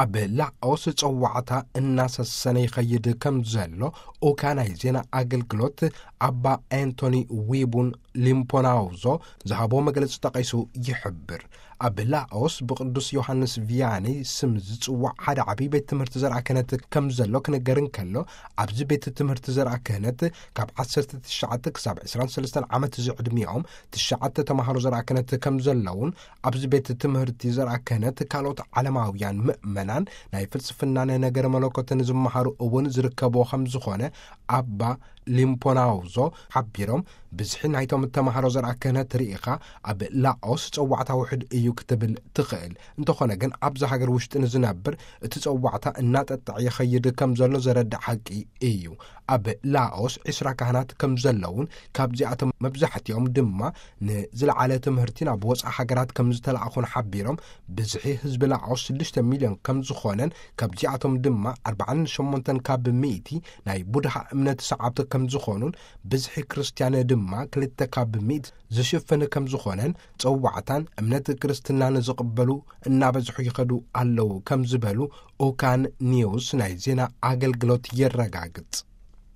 ኣብ ላኦስ ጸዋዕታ እናሰሰነ ይኸይድ ከም ዘሎ ኡካ ናይ ዜና ኣገልግሎት ኣባ ኣንቶኒ ዊቡን ሊምፖናውዞ ዝሃቦ መግለጺ ጠቒሱ ይሕብር። ኣብ ላኦስ ብቅዱስ ዮሃንስ ቪያኒ ስም ዝጽዋዕ ሓደ ዓብዪ ቤት ትምህርቲ ዘርኣ ክህነት ከም ዘሎ ክንገር እንከሎ፣ ኣብዚ ቤት ትምህርቲ ዘርኣ ክህነት ካብ ዓሰርተ ትሽዓተ ክሳብ ዕስራን ሰለስተን ዓመት ዝዕድሚኦም ትሽዓተ ተማሃሮ ዘርኣ ክህነት ከም ዘለውን፣ ኣብዚ ቤት ትምህርቲ ዘርኣ ክህነት ካልኦት ዓለማውያን ምእመናን ናይ ፍልስፍናን ነገረ መለኮትን ዝመሃሩ እውን ዝርከብዎ ከም ዝኾነ ኣባ ሊምፖናውዞ ሓቢሮም፣ ብዝሒ ናይቶም ተማሃሮ ዘርኣ ክህነት ርኢኻ ኣብ ላኦስ ጸዋዕታ ውሕድ እዩ ክትብል ትኽእል። እንተኾነ ግን ኣብዚ ሃገር ውሽጢ ንዝነብር እቲ ጸዋዕታ እናጠጠዐ ይኸይድ ከም ዘሎ ዘረድእ ሓቂ እዩ። ኣብ ላኦስ ዕስራ ካህናት ከም ዘለውን ካብዚኣቶም መብዛሕትኦም ድማ ንዝለዓለ ትምህርቲ ናብ ወጻኢ ሃገራት ከም ዝተላእኹን ሓቢሮም፣ ብዝሒ ህዝቢ ላኦስ ሽዱሽተ ሚልዮን ከም ዝኾነን ካብዚኣቶም ድማ ኣርብዓን ሸሞንተን ካብ ሚእቲ ናይ ቡድሃ እምነት ሰዓብቲ ከም ዝኾኑን ብዝሒ ክርስትያን ድማ ክልተ ካብ ሚእቲ ዝሽፍን ከም ዝኾነን ጸዋዕታን እምነት ክርስትናን ዝቕበሉ እናበዝሑ ይኸዱ ኣለዉ ከም ዝበሉ ኦካን ኒውስ ናይ ዜና ኣገልግሎት የረጋግጽ።